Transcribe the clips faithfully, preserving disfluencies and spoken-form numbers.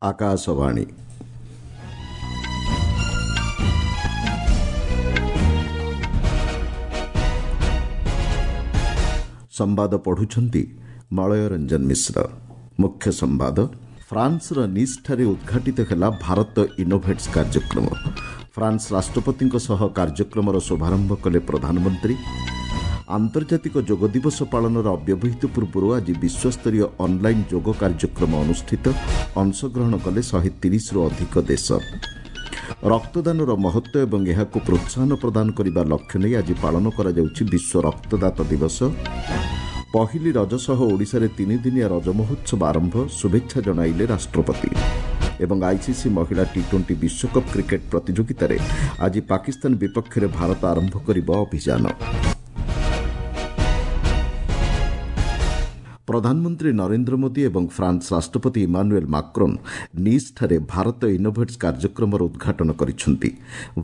ଆକାଶବାଣୀ ସମ୍ବାଦ ପଢୁଛନ୍ତି ମଳୟ ରଞ୍ଜନ ମିଶ୍ର। ମୁଖ୍ୟ ସମ୍ବାଦ। ଫ୍ରାନ୍ସର ନିସ୍ଠାରେ ଉଦ୍ଘାଟିତ ହେଲା ଭାରତ ଇନୋଭେଟ୍ସ କାର୍ଯ୍ୟକ୍ରମ। ଫ୍ରାନ୍ସ ରାଷ୍ଟ୍ରପତିଙ୍କ ସହ କାର୍ଯ୍ୟକ୍ରମର ଶୁଭାରମ୍ଭ କଲେ ପ୍ରଧାନମନ୍ତ୍ରୀ। ଆନ୍ତର୍ଜାତିକ ଯୋଗ ଦିବସ ପାଳନର ଅବ୍ୟବହିତ ପୂର୍ବରୁ ଆଜି ବିଶ୍ୱସ୍ତରୀୟ ଅନ୍ଲାଇନ୍ ଯୋଗ କାର୍ଯ୍ୟକ୍ରମ ଅନୁଷ୍ଠିତ। ଅଂଶଗ୍ରହଣ କଲେ ଶହେ ତିରିଶରୁ ଅଧିକ ଦେଶ। ରକ୍ତଦାନର ମହତ୍ତ୍ୱ ଏବଂ ଏହାକୁ ପ୍ରୋତ୍ସାହନ ପ୍ରଦାନ କରିବା ଲକ୍ଷ୍ୟ ନେଇ ଆଜି ପାଳନ କରାଯାଉଛି ବିଶ୍ୱ ରକ୍ତଦାତା ଦିବସ। ପହିଲି ରଜ ସହ ଓଡ଼ିଶାରେ ତିନିଦିନିଆ ରଜ ମହୋତ୍ସବ ଆରମ୍ଭ, ଶୁଭେଚ୍ଛା ଜଣାଇଲେ ରାଷ୍ଟ୍ରପତି। ଏବଂ ଆଇସିସି ମହିଳା ଟି ଟ୍ୱେଣ୍ଟି ବିଶ୍ୱକପ୍ କ୍ରିକେଟ୍ ପ୍ରତିଯୋଗିତାରେ ଆଜି ପାକିସ୍ତାନ ବିପକ୍ଷରେ ଭାରତ ଆରମ୍ଭ କରିବ ଅଭିଯାନ। ପ୍ରଧାନମନ୍ତ୍ରୀ ନରେନ୍ଦ୍ର ମୋଦି ଏବଂ ଫ୍ରାନ୍ସ ରାଷ୍ଟ୍ରପତି ଇମାନୁଏଲ୍ ମାକ୍ରୋନ୍ ନିସ୍ଠାରେ ଭାରତ ଇନୋଭେଟ୍ସ କାର୍ଯ୍ୟକ୍ରମର ଉଦ୍ଘାଟନ କରିଛନ୍ତି।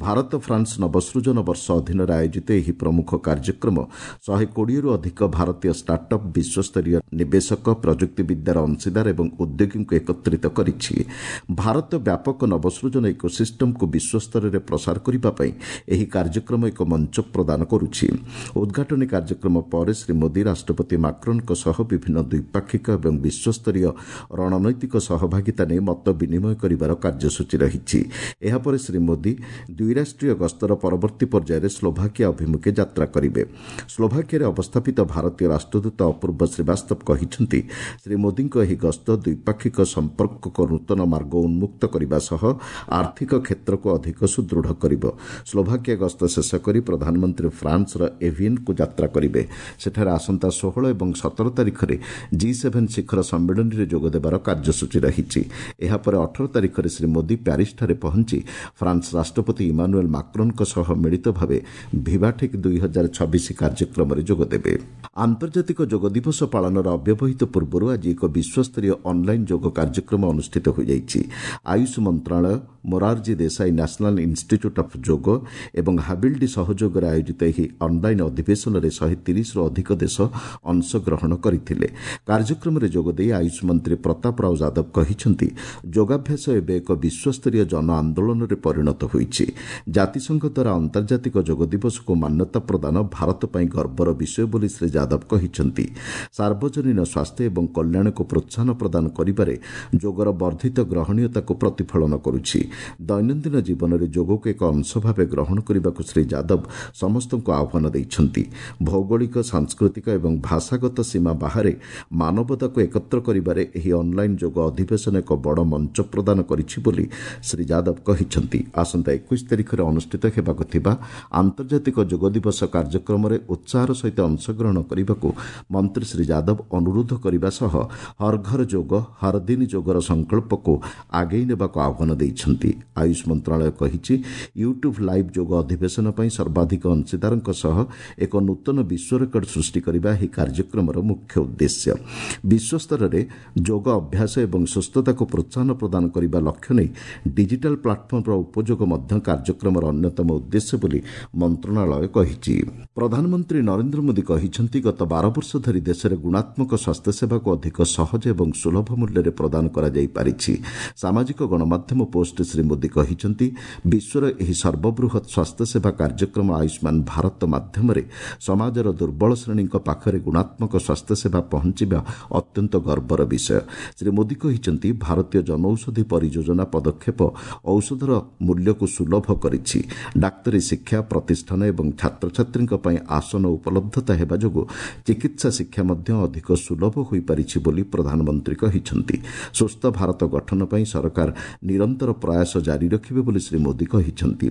ଭାରତ ଫ୍ରାନ୍ସ ନବସୃଜନ ବର୍ଷ ଅଧୀନରେ ଆୟୋଜିତ ଏହି ପ୍ରମୁଖ କାର୍ଯ୍ୟକ୍ରମ ଶହେ କୋଡ଼ିଏରୁ ଅଧିକ ଭାରତୀୟ ଷ୍ଟାର୍ଟଅପ୍, ବିଶ୍ୱସ୍ତରୀୟ ନିବେଶକ, ପ୍ରଯୁକ୍ତିବିଦ୍ୟାର ଅଂଶୀଦାର ଏବଂ ଉଦ୍ୟୋଗୀଙ୍କୁ ଏକତ୍ରିତ କରିଛି। ଭାରତ ବ୍ୟାପକ ନବସୃଜନ ଇକୋସିଷ୍ଟମକୁ ବିଶ୍ୱସ୍ତରରେ ପ୍ରସାର କରିବା ପାଇଁ ଏହି କାର୍ଯ୍ୟକ୍ରମ ଏକ ମଞ୍ଚ ପ୍ରଦାନ କରୁଛି। ଉଦ୍ଘାଟନୀ କାର୍ଯ୍ୟକ୍ରମ ପରେ ଶ୍ରୀ ମୋଦି ରାଷ୍ଟ୍ରପତି ମାକ୍ରୋନ୍ଙ୍କ ସହ ବିଭିନ୍ନ ଦ୍ୱିପାକ୍ଷିକ ଏବଂ ବିଶ୍ୱସ୍ତରୀୟ ରଣନୈତିକ ସହଭାଗିତା ନେଇ ମତ ବିନିମୟ କରିବାର କାର୍ଯ୍ୟସୂଚୀ ରହିଛି। ଏହାପରେ ଶ୍ରୀ ମୋଦି ଦ୍ୱିରାଷ୍ଟ୍ରୀୟ ଗସ୍ତର ପରବର୍ତ୍ତୀ ପର୍ଯ୍ୟାୟରେ ସ୍ଲୋଭାକିଆ ଅଭିମୁଖେ ଯାତ୍ରା କରିବେ। ସ୍ଲୋଭାକିଆରେ ଅବସ୍ଥାପିତ ଭାରତୀୟ ରାଷ୍ଟ୍ରଦୂତ ଅପୂର୍ବ ଶ୍ରୀବାସ୍ତବ କହିଛନ୍ତି, ଶ୍ରୀ ମୋଦିଙ୍କ ଏହି ଗସ୍ତ ଦ୍ୱିପାକ୍ଷିକ ସମ୍ପର୍କକୁ ନୂତନ ମାର୍ଗ ଉନ୍ମୁକ୍ତ କରିବା ସହ ଆର୍ଥିକ କ୍ଷେତ୍ରକୁ ଅଧିକ ସୁଦୃଢ଼ କରିବ। ସ୍ଲୋଭାକିଆ ଗସ୍ତ ଶେଷ କରି ପ୍ରଧାନମନ୍ତ୍ରୀ ଫ୍ରାନ୍ସର ଏଭିଏନ୍କୁ ଯାତ୍ରା କରିବେ। ସେଠାରେ ଆସନ୍ତା ଷୋହଳ ଏବଂ ସତର ତାରିଖରେ ଜି ସେଭେନ୍ ଶିଖର ସମ୍ମିଳନୀରେ ଯୋଗଦେବାର କାର୍ଯ୍ୟସୂଚୀ ରହିଛି। ଏହାପରେ ଅଠର ତାରିଖରେ ଶ୍ରୀ ମୋଦି ପ୍ୟାରିସ୍ଠାରେ ପହଞ୍ଚି ଫ୍ରାନ୍ସ ରାଷ୍ଟ୍ରପତି ଇମାନୁଏଲ୍ ମାକ୍ରୋନ୍ଙ୍କ ସହ ମିଳିତ ଭାବେ ଭିଭାଟେକ୍ ଦୁଇ ହଜାର ଛବିଶ କାର୍ଯ୍ୟକ୍ରମରେ ଯୋଗଦେବେ। ଆନ୍ତର୍ଜାତିକ ଯୋଗ ଦିବସ ପାଳନର ଅବ୍ୟବହିତ ପୂର୍ବରୁ ଆଜି ଏକ ବିଶ୍ୱସ୍ତରୀୟ ଅନ୍ଲାଇନ୍ ଯୋଗ କାର୍ଯ୍ୟକ୍ରମ ଅନୁଷ୍ଠିତ ହୋଇଯାଇଛି। ଆୟୁଷ ମନ୍ତ୍ରଣାଳୟ, Morarji Desai National Institute of Yoga ଏବଂ ହାବିଲ୍ଡି ସହଯୋଗରେ ଆୟୋଜିତ ଏହି ଅନ୍ଲାଇନ୍ ଅଧିବେଶନରେ ଶହେ ତିରିଶରୁ ଅଧିକ ଦେଶ ଅଂଶଗ୍ରହଣ କରିଥିଲେ। କାର୍ଯ୍ୟକ୍ରମରେ ଯୋଗଦେଇ ଆୟୁଷ ମନ୍ତ୍ରୀ ପ୍ରତାପ ରାଓ ଯାଦବ କହିଛନ୍ତି, ଯୋଗାଭ୍ୟାସ ଏବେ ଏକ ବିଶ୍ୱସ୍ତରୀୟ ଜନ ଆନ୍ଦୋଳନରେ ପରିଣତ ହୋଇଛି। ଜାତିସଂଘ ଦ୍ୱାରା ଆନ୍ତର୍ଜାତିକ ଯୋଗ ଦିବସକୁ ମାନ୍ୟତା ପ୍ରଦାନ ଭାରତ ପାଇଁ ଗର୍ବର ବିଷୟ ବୋଲି ଶ୍ରୀ ଯାଦବ କହିଛନ୍ତି। ସାର୍ବଜନୀନ ସ୍ୱାସ୍ଥ୍ୟ ଏବଂ କଲ୍ୟାଣକୁ ପ୍ରୋତ୍ସାହନ ପ୍ରଦାନ କରିବାରେ ଯୋଗର ବର୍ଦ୍ଧିତ ଗ୍ରହଣୀୟତାକୁ ପ୍ରତିଫଳନ କରୁଛି। ଦୈନନ୍ଦିନ ଜୀବନରେ ଯୋଗକୁ ଏକ ଅଂଶ ଭାବେ ଗ୍ରହଣ କରିବାକୁ ଶ୍ରୀ ଯାଦବ ସମସ୍ତଙ୍କୁ ଆହ୍ୱାନ ଦେଇଛନ୍ତି। ଭୌଗୋଳିକ, ସାଂସ୍କୃତିକ ଏବଂ ଭାଷାଗତ ସୀମା ବାହାରେ ମାନବତାକୁ ଏକତ୍ର କରିବାରେ ଏହି ଅନ୍ଲାଇନ୍ ଯୋଗ ଅଧିବେଶନ ଏକ ବଡ଼ ମଞ୍ଚ ପ୍ରଦାନ କରିଛି ବୋଲି ଶ୍ରୀ ଯାଦବ କହିଛନ୍ତି। ଆସନ୍ତା ଏକୋଇଶ ତାରିଖରେ ଅନୁଷ୍ଠିତ ହେବାକୁ ଥିବା ଆନ୍ତର୍ଜାତିକ ଯୋଗ ଦିବସ କାର୍ଯ୍ୟକ୍ରମରେ ଉତ୍ସାହର ସହିତ ଅଂଶଗ୍ରହଣ କରିବାକୁ ମନ୍ତ୍ରୀ ଶ୍ରୀ ଯାଦବ ଅନୁରୋଧ କରିବା ସହ ହର ଘର ଯୋଗ, ହର ଦିନ ଯୋଗର ସଂକଳ୍ପକୁ ଆଗେଇ ନେବାକୁ ଆହ୍ୱାନ ଦେଇଛନ୍ତି। ଆୟୁଷ ମନ୍ତ୍ରଣାଳୟ କହିଛି, ୟୁଟ୍ୟୁବ୍ ଲାଇଭ୍ ଯୋଗ ଅଧିବେଶନ ପାଇଁ ସର୍ବାଧିକ ଅଂଶୀଦାରଙ୍କ ସହ ଏକ ନୂତନ ବିଶ୍ୱ ରେକର୍ଡ ସୃଷ୍ଟି କରିବା ଏହି କାର୍ଯ୍ୟକ୍ରମର ମୁଖ୍ୟ ଉଦ୍ଦେଶ୍ୟ। ବିଶ୍ୱସ୍ତରରେ ଯୋଗ ଅଭ୍ୟାସ ଏବଂ ସୁସ୍ଥତାକୁ ପ୍ରୋତ୍ସାହନ ପ୍ରଦାନ କରିବା ଲକ୍ଷ୍ୟ ନେଇ ଡିଜିଟାଲ୍ ପ୍ଲାଟଫର୍ମର ଉପଯୋଗ ମଧ୍ୟ କାର୍ଯ୍ୟକ୍ରମର ଅନ୍ୟତମ ଉଦ୍ଦେଶ୍ୟ ବୋଲି ମନ୍ତ୍ରଣାଳୟ କହିଛି। ପ୍ରଧାନମନ୍ତ୍ରୀ ନରେନ୍ଦ୍ର ମୋଦି କହିଛନ୍ତି, ଗତ ବାର ବର୍ଷ ଧରି ଦେଶରେ ଗୁଣାତ୍ମକ ସ୍ୱାସ୍ଥ୍ୟସେବାକୁ ଅଧିକ ସହଜ ଏବଂ ସୁଲଭ ମୂଲ୍ୟରେ ପ୍ରଦାନ କରାଯାଇପାରିଛି। ସାମାଜିକ ଗଣମାଧ୍ୟମ ପୋଷ୍ଟରେ ଶ୍ରୀ ମୋଦି କହିଛନ୍ତି, ବିଶ୍ୱର ଏହି ସର୍ବବୃହତ୍ ସ୍ୱାସ୍ଥ୍ୟସେବା କାର୍ଯ୍ୟକ୍ରମ ଆୟୁଷ୍ମାନ ଭାରତ ମାଧ୍ୟମରେ ସମାଜର ଦୁର୍ବଳ ଶ୍ରେଣୀଙ୍କ ପାଖରେ ଗୁଣାତ୍ମକ ସ୍ୱାସ୍ଥ୍ୟସେବା ପହଞ୍ଚିବା ଅତ୍ୟନ୍ତ ଗର୍ବର ବିଷୟ। ଶ୍ରୀ ମୋଦି କହିଛନ୍ତି, ଭାରତୀୟ ଜନୌଷଧି ପରିଯୋଜନା ପଦକ୍ଷେପ ଔଷଧର ମୂଲ୍ୟକୁ ସୁଲଭ କରିଛି। ଡାକ୍ତରୀ ଶିକ୍ଷା ପ୍ରତିଷ୍ଠାନ ଏବଂ ଛାତ୍ରଛାତ୍ରୀଙ୍କ ପାଇଁ ଆସନ ଉପଲବ୍ଧତା ହେବା ଯୋଗୁଁ ଚିକିତ୍ସା ଶିକ୍ଷା ମଧ୍ୟ ଅଧିକ ସୁଲଭ ହୋଇପାରିଛି ବୋଲି ପ୍ରଧାନମନ୍ତ୍ରୀ କହିଛନ୍ତି। ସୁସ୍ଥ ଭାରତ ଗଠନ ପାଇଁ ସରକାର ନିରନ୍ତର ପ୍ରୟାସ ଜାରି ରଖିବେ ବୋଲି ଶ୍ରୀ ମୋଦି କହିଛନ୍ତି।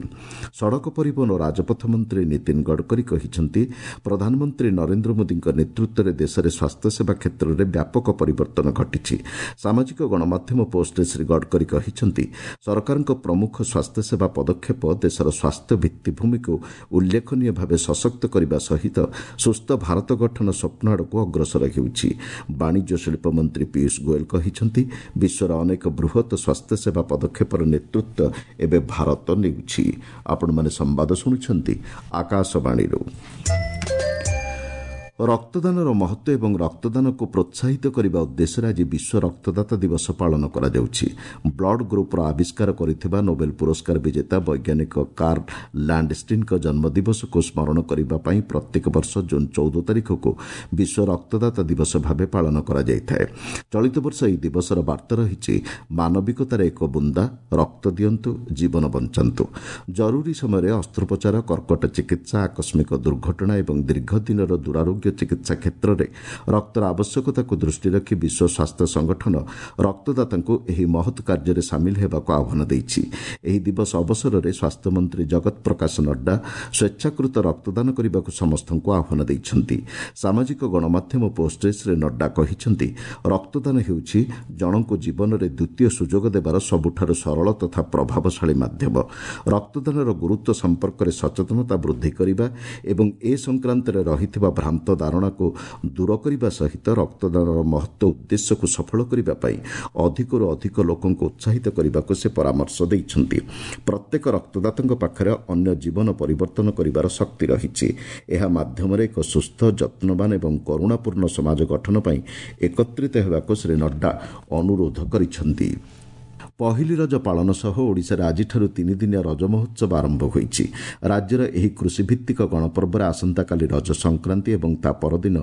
ସଡ଼କ ପରିବହନ ଓ ରାଜପଥ ମନ୍ତ୍ରୀ ନୀତିନ ଗଡ଼କରୀ କହିଛନ୍ତି, ପ୍ରଧାନମନ୍ତ୍ରୀ ନରେନ୍ଦ୍ର ମୋଦିଙ୍କ ନେତୃତ୍ୱରେ ଦେଶରେ ସ୍ୱାସ୍ଥ୍ୟସେବା କ୍ଷେତ୍ରରେ ବ୍ୟାପକ ପରିବର୍ତ୍ତନ ଘଟିଛି। ସାମାଜିକ ଗଣମାଧ୍ୟମ ପୋଷ୍ଟରେ ଶ୍ରୀ ଗଡ଼କରୀ କହିଛନ୍ତି, ସରକାରଙ୍କ ପ୍ରମୁଖ ସ୍ୱାସ୍ଥ୍ୟସେବା ପଦକ୍ଷେପ ଦେଶର ସ୍ୱାସ୍ଥ୍ୟ ଭିତ୍ତିଭୂମିକୁ ଉଲ୍ଲେଖନୀୟ ଭାବେ ସଶକ୍ତ କରିବା ସହିତ ସୁସ୍ଥ ଭାରତ ଗଠନ ସ୍ୱପ୍ନ ଆଡ଼କୁ ଅଗ୍ରସର ହେଉଛି। ବାଣିଜ୍ୟ ଶିଳ୍ପ ମନ୍ତ୍ରୀ ପୀୟୁଷ ଗୋଏଲ କହିଛନ୍ତି, ବିଶ୍ୱର ଅନେକ ବୃହତ୍ ସ୍ୱାସ୍ଥ୍ୟସେବା ପଦକ୍ଷେପର ନେତୃତ୍ୱ ଏବେ ଭାରତ ନେଉଛି। ଆପଣମାନେ ସମ୍ବାଦ ଶୁଣୁଛନ୍ତି ଆକାଶବାଣୀରୁ। ରକ୍ତଦାନର ମହତ୍ତ୍ୱ ଏବଂ ରକ୍ତଦାନକୁ ପ୍ରୋତ୍ସାହିତ କରିବା ଉଦ୍ଦେଶ୍ୟରେ ଆଜି ବିଶ୍ୱ ରକ୍ତଦାତା ଦିବସ ପାଳନ କରାଯାଉଛି। ବ୍ଲଡ୍ ଗ୍ରୁପ୍ର ଆବିଷ୍କାର କରିଥିବା ନୋବେଲ ପୁରସ୍କାର ବିଜେତା ବୈଜ୍ଞାନିକ କାର୍ଲ ଲ୍ୟାଣ୍ଡଷ୍ଟିନ୍ଙ୍କ ଜନ୍ମଦିବସକୁ ସ୍ମରଣ କରିବା ପାଇଁ ପ୍ରତ୍ୟେକ ବର୍ଷ ଜୁନ୍ ଚଉଦ ତାରିଖକୁ ବିଶ୍ୱ ରକ୍ତଦାତା ଦିବସ ଭାବେ ପାଳନ କରାଯାଇଥାଏ। ଚଳିତ ବର୍ଷ ଏହି ଦିବସର ବାର୍ତ୍ତା ରହିଛି ମାନବିକତାର ଏକ ବୁନ୍ଦା, ରକ୍ତ ଦିଅନ୍ତୁ, ଜୀବନ ବଞ୍ଚାନ୍ତୁ। ଜରୁରୀ ସମୟରେ ଅସ୍ତ୍ରୋପଚାର, କର୍କଟ ଚିକିତ୍ସା, ଆକସ୍ମିକ ଦୁର୍ଘଟଣା ଏବଂ ଦୀର୍ଘ ଦିନର ଦୁରାରୋଗ୍ୟ ଚିକିତ୍ସା କ୍ଷେତ୍ରରେ ରକ୍ତର ଆବଶ୍ୟକତାକୁ ଦୃଷ୍ଟିରେ ରଖି ବିଶ୍ୱ ସ୍ୱାସ୍ଥ୍ୟ ସଂଗଠନ ରକ୍ତଦାତାଙ୍କୁ ଏହି ମହତ୍ କାର୍ଯ୍ୟରେ ସାମିଲ ହେବାକୁ ଆହ୍ୱାନ ଦେଇଛି। ଏହି ଦିବସ ଅବସରରେ ସ୍ୱାସ୍ଥ୍ୟମନ୍ତ୍ରୀ ଜଗତ ପ୍ରକାଶ ନଡ୍ଡା ସ୍ୱେଚ୍ଛାକୃତ ରକ୍ତଦାନ କରିବାକୁ ସମସ୍ତଙ୍କୁ ଆହ୍ୱାନ ଦେଇଛନ୍ତି। ସାମାଜିକ ଗଣମାଧ୍ୟମ ପୋଷ୍ଟରେ ଶ୍ରୀ ନଡ୍ଡା କହିଛନ୍ତି, ରକ୍ତଦାନ ହେଉଛି ଜଣଙ୍କୁ ଜୀବନରେ ଦ୍ୱିତୀୟ ସୁଯୋଗ ଦେବାର ସବୁଠାରୁ ସରଳ ତଥା ପ୍ରଭାବଶାଳୀ ମାଧ୍ୟମ। ରକ୍ତଦାନର ଗୁରୁତ୍ୱ ସମ୍ପର୍କରେ ସଚେତନତା ବୃଦ୍ଧି କରିବା ଏବଂ ଏ ସଂକ୍ରାନ୍ତରେ ରହିଥିବା ଭ୍ରାନ୍ତ ଧାରଣାକୁ ଦୂର କରିବା ସହିତ ରକ୍ତଦାନର ମହତ୍ତ୍ୱ ଉଦ୍ଦେଶ୍ୟକୁ ସଫଳ କରିବା ପାଇଁ ଅଧିକରୁ ଅଧିକ ଲୋକଙ୍କୁ ଉତ୍ସାହିତ କରିବାକୁ ସେ ପରାମର୍ଶ ଦେଇଛନ୍ତି। ପ୍ରତ୍ୟେକ ରକ୍ତଦାତାଙ୍କ ପାଖରେ ଅନ୍ୟ ଜୀବନ ପରିବର୍ତ୍ତନ କରିବାର ଶକ୍ତି ରହିଛି। ଏହା ମାଧ୍ୟମରେ ଏକ ସୁସ୍ଥ, ଯତ୍ନବାନ ଏବଂ କରୁଣାପୂର୍ଣ୍ଣ ସମାଜ ଗଠନ ପାଇଁ ଏକତ୍ରିତ ହେବାକୁ ଶ୍ରୀ ନଡ୍ଡା ଅନୁରୋଧ କରିଛନ୍ତି। ପହିଲି ରଜ ପାଳନ ସହ ଓଡ଼ିଶାରେ ଆଜିଠାରୁ ତିନିଦିନିଆ ରଜ ମହୋତ୍ସବ ଆରମ୍ଭ ହୋଇଛି। ରାଜ୍ୟର ଏହି କୃଷିଭିତ୍ତିକ ଗଣପର୍ବରେ ଆସନ୍ତାକାଲି ରଜ ସଂକ୍ରାନ୍ତି ଏବଂ ତା ପରଦିନ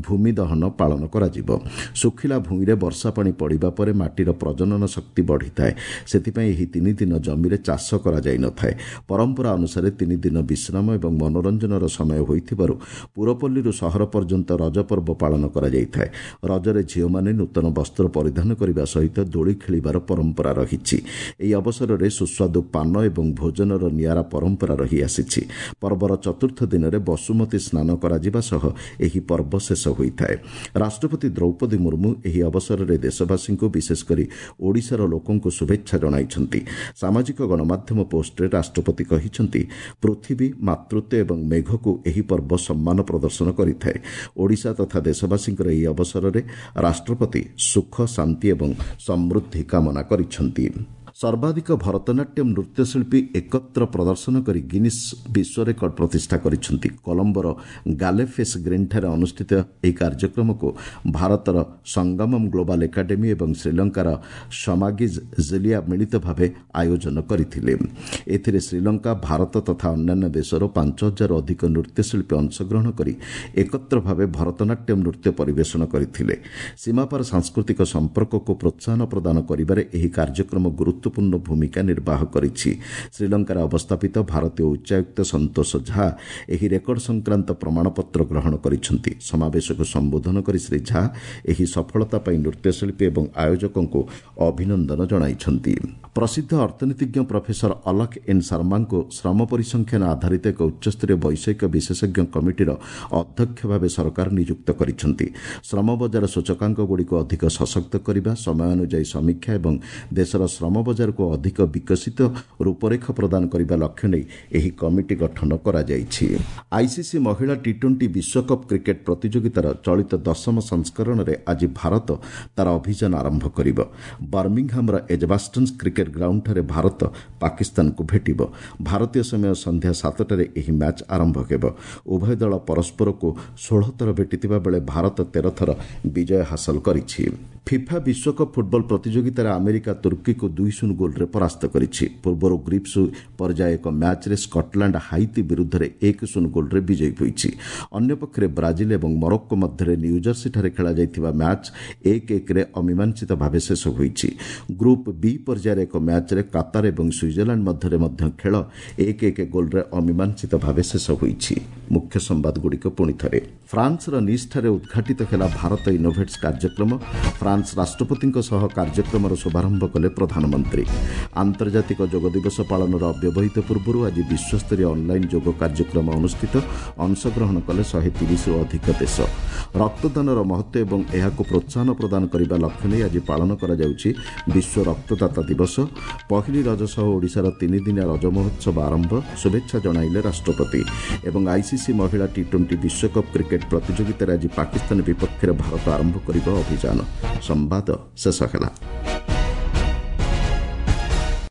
ଭୂମି ଦହନ ପାଳନ କରାଯିବ। ଶୁଖିଲା ଭୂଇଁରେ ବର୍ଷା ପାଣି ପଡ଼ିବା ପରେ ମାଟିର ପ୍ରଜନନ ଶକ୍ତି ବଢ଼ିଥାଏ। ସେଥିପାଇଁ ଏହି ତିନି ଦିନ ଜମିରେ ଚାଷ କରାଯାଇନଥାଏ। ପରମ୍ପରା ଅନୁସାରେ ତିନି ଦିନ ବିଶ୍ରାମ ଏବଂ ମନୋରଞ୍ଜନର ସମୟ ହୋଇଥିବାରୁ ପୁରପଲ୍ଲୀରୁ ସହର ପର୍ଯ୍ୟନ୍ତ ରଜ ପର୍ବ ପାଳନ କରାଯାଇଥାଏ। ରଜରେ ଝିଅମାନେ ନୂତନ ବସ୍ତ୍ର ପରିଧାନ କରିବା ସହିତ ଦୋଳି ଖେଳିବାର ପରମ୍ପରା ରହିଛି। ଏହି ଅବସରରେ ସୁସ୍ୱାଦୁ ପାନ ଏବଂ ଭୋଜନର ନିଆରା ପରମ୍ପରା ରହିଆସିଛି। ପର୍ବର ଚତୁର୍ଥ ଦିନରେ ବସୁମତୀ ସ୍ନାନ କରାଯିବା ସହ ଏହି ପର୍ବ ଶେଷ ହୋଇଥାଏ। ରାଷ୍ଟ୍ରପତି ଦ୍ରୌପଦୀ ମୁର୍ମୁ ଏହି ଅବସରରେ ଦେଶବାସୀଙ୍କୁ, ବିଶେଷ କରି ଓଡ଼ିଶାର ଲୋକଙ୍କୁ ଶୁଭେଚ୍ଛା ଜଣାଇଛନ୍ତି। ସାମାଜିକ ଗଣମାଧ୍ୟମ ପୋଷ୍ଟରେ ରାଷ୍ଟ୍ରପତି କହିଛନ୍ତି, ପୃଥିବୀ, ମାତୃତ୍ୱ ଏବଂ ମେଘକୁ ଏହି ପର୍ବ ସମ୍ମାନ ପ୍ରଦର୍ଶନ କରିଥାଏ। ଓଡ଼ିଶା ତଥା ଦେଶବାସୀଙ୍କର ଏହି ଅବସରରେ ରାଷ୍ଟ୍ରପତି ସୁଖ, ଶାନ୍ତି ଏବଂ ସମୃଦ୍ଧି କାମନା କରିଛନ୍ତି। ସର୍ବାଧିକ ଭରତନାଟ୍ୟମ ନୃତ୍ୟଶିଳ୍ପୀ ଏକତ୍ର ପ୍ରଦର୍ଶନ କରି ଗିନିସ୍ ବିଶ୍ୱ ରେକର୍ଡ ପ୍ରତିଷ୍ଠା କରିଛନ୍ତି। କଲମ୍ବୋର ଗାଲେଫେସ୍ ଗ୍ରୀନ୍ଠାରେ ଅନୁଷ୍ଠିତ ଏହି କାର୍ଯ୍ୟକ୍ରମକୁ ଭାରତର ସଙ୍ଗମମ୍ ଗ୍ଲୋବାଲ୍ ଏକାଡେମୀ ଏବଂ ଶ୍ରୀଲଙ୍କାର ସମାଗିଜ୍ ଜିଲିଆ ମିଳିତ ଭାବେ ଆୟୋଜନ କରିଥିଲେ। ଏଥିରେ ଶ୍ରୀଲଙ୍କା, ଭାରତ ତଥା ଅନ୍ୟାନ୍ୟ ଦେଶର ପାଞ୍ଚ ହଜାରରୁ ଅଧିକ ନୃତ୍ୟଶିଳ୍ପୀ ଅଂଶଗ୍ରହଣ କରି ଏକତ୍ର ଭାବେ ଭରତନାଟ୍ୟମ ନୃତ୍ୟ ପରିବେଷଣ କରିଥିଲେ। ସୀମାପାର ସାଂସ୍କୃତିକ ସମ୍ପର୍କକୁ ପ୍ରୋତ୍ସାହନ ପ୍ରଦାନ କରିବାରେ ଏହି କାର୍ଯ୍ୟକ୍ରମ ଗୁରୁତ୍ୱ ଗୁରୁତ୍ୱପୂର୍ଣ୍ଣ ଭୂମିକା ନିର୍ବାହ କରିଛି। ଶ୍ରୀଲଙ୍କାରେ ଅବସ୍ଥାପିତ ଭାରତୀୟ ଉଚ୍ଚାୟୁକ୍ତ ସନ୍ତୋଷ ଝା ଏହି ରେକର୍ଡ ସଂକ୍ରାନ୍ତ ପ୍ରମାଣପତ୍ର ଗ୍ରହଣ କରିଛନ୍ତି। ସମାବେଶକୁ ସମ୍ବୋଧନ କରି ଶ୍ରୀ ଝା ଏହି ସଫଳତା ପାଇଁ ନୃତ୍ୟଶିଳ୍ପୀ ଏବଂ ଆୟୋଜକଙ୍କୁ ଅଭିନନ୍ଦନ ଜଣାଇଛନ୍ତି। ପ୍ରସିଦ୍ଧ ଅର୍ଥନୀତିଜ୍ଞ ପ୍ରଫେସର ଅଲକ ଏନ୍ ଶର୍ମାଙ୍କୁ ଶ୍ରମ ପରିସଂଖ୍ୟାନ ଆଧାରିତ ଏକ ଉଚ୍ଚସ୍ତରୀୟ ବୈଷୟିକ ବିଶେଷଜ୍ଞ କମିଟିର ଅଧ୍ୟକ୍ଷ ଭାବେ ସରକାର ନିଯୁକ୍ତ କରିଛନ୍ତି। ଶ୍ରମ ବଜାର ସୂଚକାଙ୍କଗୁଡ଼ିକୁ ଅଧିକ ସଶକ୍ତ କରିବା, ସମୟାନୁଯାୟୀ ସମୀକ୍ଷା ଏବଂ ଦେଶର ଶ୍ରମ ବଜାରକୁ ଅଧିକ ବିକଶିତ ରୂପରେଖ ପ୍ରଦାନ କରିବା ଲକ୍ଷ୍ୟ ନେଇ ଏହି କମିଟି ଗଠନ କରାଯାଇଛି। ଆଇସିସି ମହିଳା ଟି ଟ୍ୱେଣ୍ଟି ବିଶ୍ୱକପ୍ କ୍ରିକେଟ୍ ପ୍ରତିଯୋଗିତାର ଚଳିତ ଦଶମ ସଂସ୍କରଣରେ ଆଜି ଭାରତ ତାର ଅଭିଯାନ ଆରମ୍ଭ କରିବ। ବର୍ମିଂହାମର ଏଜବାଷ୍ଟନ୍ସ କ୍ରିକେଟ୍ ଗ୍ରାଉଣ୍ଡଠାରେ ଭାରତ ପାକିସ୍ତାନକୁ ଭେଟିବ। ଭାରତୀୟ ସମୟ ସନ୍ଧ୍ୟା ସାତଟାରେ ଏହି ମ୍ୟାଚ୍ ଆରମ୍ଭ ହେବ। ଉଭୟ ଦଳ ପରସ୍ପରକୁ ଷୋହଳ ଥର ଭେଟିଥିବା ବେଳେ ଭାରତ ତେର ଥର ବିଜୟ ହାସଲ କରିଛି। ଫିଫା ବିଶ୍ୱକପ୍ ଫୁଟବଲ ପ୍ରତିଯୋଗିତାରେ ଆମେରିକା ତୁର୍କୀକୁ ଦୁଇ ଶୂନ ଗୋଲ୍ରେ ପରାସ୍ତ କରିଛି। ପୂର୍ବରୁ ଗ୍ରୁପ୍ ପର୍ଯ୍ୟାୟ ଏକ ମ୍ୟାଚ୍ରେ ସ୍କଟଲାଣ୍ଡ ହାଇତି ବିରୁଦ୍ଧରେ ଏକ ଶୂନ ଗୋଲ୍ରେ ବିଜୟୀ ହୋଇଛି। ଅନ୍ୟପକ୍ଷରେ ବ୍ରାଜିଲ ଏବଂ ମରୋକ୍କୋ ମଧ୍ୟରେ ନ୍ୟୁଜର୍ସିଠାରେ ଖେଳାଯାଇଥିବା ମ୍ୟାଚ୍ ଏକ ଏକରେ ଅମୀମାଂସିତ ଭାବେ ଶେଷ ହୋଇଛି। ଗ୍ରୁପ୍ ବି ପର୍ଯ୍ୟାୟରେ ଏକ ମ୍ୟାଚ୍ରେ କାତାର ଏବଂ ସୁଇଜରଲ୍ୟାଣ୍ଡ ମଧ୍ୟରେ ମଧ୍ୟ ଖେଳ ଏକ ଏକ ଗୋଲ୍ରେ ଅମୀମାଂସିତ ଭାବେ ଶେଷ ହୋଇଛି। ମୁଖ୍ୟ ସମ୍ବାଦଗୁଡ଼ିକ ପୁଣି ଥରେ। ଫ୍ରାନ୍ସର ନିସ୍ଠାରେ ଉଦ୍ଘାଟିତ ହେଲା ଭାରତ ଇନୋଭେଟ୍ସ କାର୍ଯ୍ୟକ୍ରମ। ଫ୍ରାନ୍ସ ରାଷ୍ଟ୍ରପତିଙ୍କ ସହ କାର୍ଯ୍ୟକ୍ରମର ଶୁଭାରମ୍ଭ କଲେ ପ୍ରଧାନମନ୍ତ୍ରୀ। ଆନ୍ତର୍ଜାତିକ ଯୋଗ ଦିବସ ପାଳନର ଅବ୍ୟବହିତ ପୂର୍ବରୁ ଆଜି ବିଶ୍ୱସ୍ତରୀୟ ଅନ୍ଲାଇନ୍ ଯୋଗ କାର୍ଯ୍ୟକ୍ରମ ଅନୁଷ୍ଠିତ। ଅଂଶଗ୍ରହଣ କଲେ ଶହେ ତିରିଶରୁ ଅଧିକ ଦେଶ। ରକ୍ତଦାନର ମହତ୍ତ୍ୱ ଏବଂ ଏହାକୁ ପ୍ରୋତ୍ସାହନ ପ୍ରଦାନ କରିବା ଲକ୍ଷ୍ୟ ନେଇ ଆଜି ପାଳନ କରାଯାଉଛି ବିଶ୍ୱ ରକ୍ତଦାତା ଦିବସ। ପହିଲି ରଜ ସହ ଓଡ଼ିଶାର ତିନିଦିନିଆ ରଜ ମହୋତ୍ସବ ଆରମ୍ଭ, ଶୁଭେଚ୍ଛା ଜଣାଇଲେ ରାଷ୍ଟ୍ରପତି। ଏବଂ ଆଇସିସି ମହିଳା ଟି ଟ୍ୱେଣ୍ଟି ବିଶ୍ୱକପ୍ କ୍ରିକେଟ୍ ପ୍ରତିଯୋଗିତାରେ ଆଜି ପାକିସ୍ତାନ ବିପକ୍ଷରେ ଭାରତ ଆରମ୍ଭ କରିବ ଅଭିଯାନ। ସମ୍ବାଦ ଶେଷ ହେଲା।